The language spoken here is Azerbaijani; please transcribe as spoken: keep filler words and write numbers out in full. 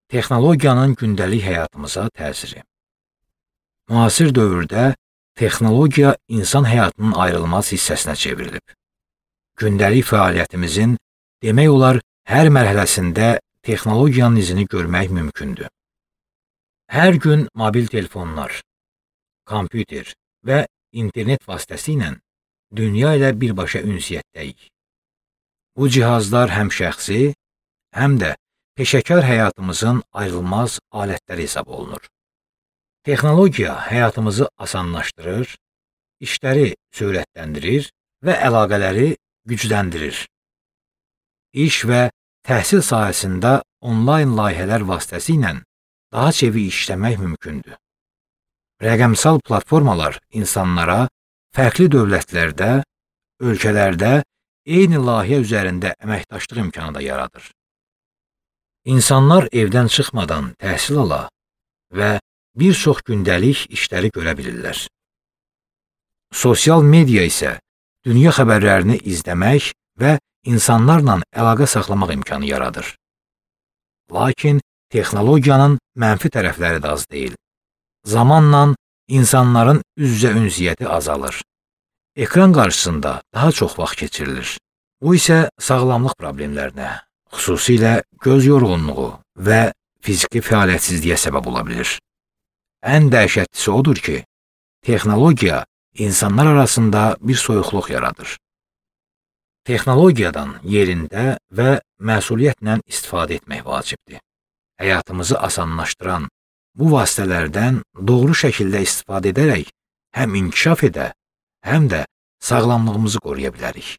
Texnologiyanın gündəlik həyatımıza təsiri. Müasir dövrdə texnologiya insan həyatının ayrılmaz hissəsinə çevrilib. Gündəlik fəaliyyətimizin demək olar hər mərhələsində texnologiyanın izini görmək mümkündür. Hər gün mobil telefonlar, kompüter və internet vasitəsilə dünya ilə birbaşa ünsiyyətdəyik. Bu cihazlar həm şəxsi, həm də peşəkar həyatımızın ayrılmaz alətləri hesab olunur. Texnologiya həyatımızı asanlaşdırır, işləri sürətləndirir və əlaqələri gücləndirir. İş və təhsil sahəsində onlayn layihələr vasitəsilə daha çevik işləmək mümkündür. Rəqəmsal platformalar insanlara fərqli dövlətlərdə, ölkələrdə eyni layihə üzərində əməkdaşlıq imkanı da yaradır. İnsanlar evdən çıxmadan təhsil ala və bir çox gündəlik işləri görə bilirlər. Sosial media isə dünya xəbərlərini izləmək və insanlarla əlaqə saxlamaq imkanı yaradır. Lakin texnologiyanın mənfi tərəfləri də az deyil. Zamanla insanların üz-üzə ünsiyyəti azalır. Ekran qarşısında daha çox vaxt keçirilir. Bu isə sağlamlıq problemlərinə, xüsusilə göz yorğunluğu və fiziki fəaliyyətsizliyə səbəb ola bilir. Ən dəhşətlisi odur ki, texnologiya insanlar arasında bir soyuqluq yaradır. Texnologiyadan yerində və məsuliyyətlə istifadə etmək vacibdir. Həyatımızı asanlaşdıran bu vasitələrdən doğru şəkildə istifadə edərək həm inkişaf edə, həm də sağlamlığımızı qoruya bilərik.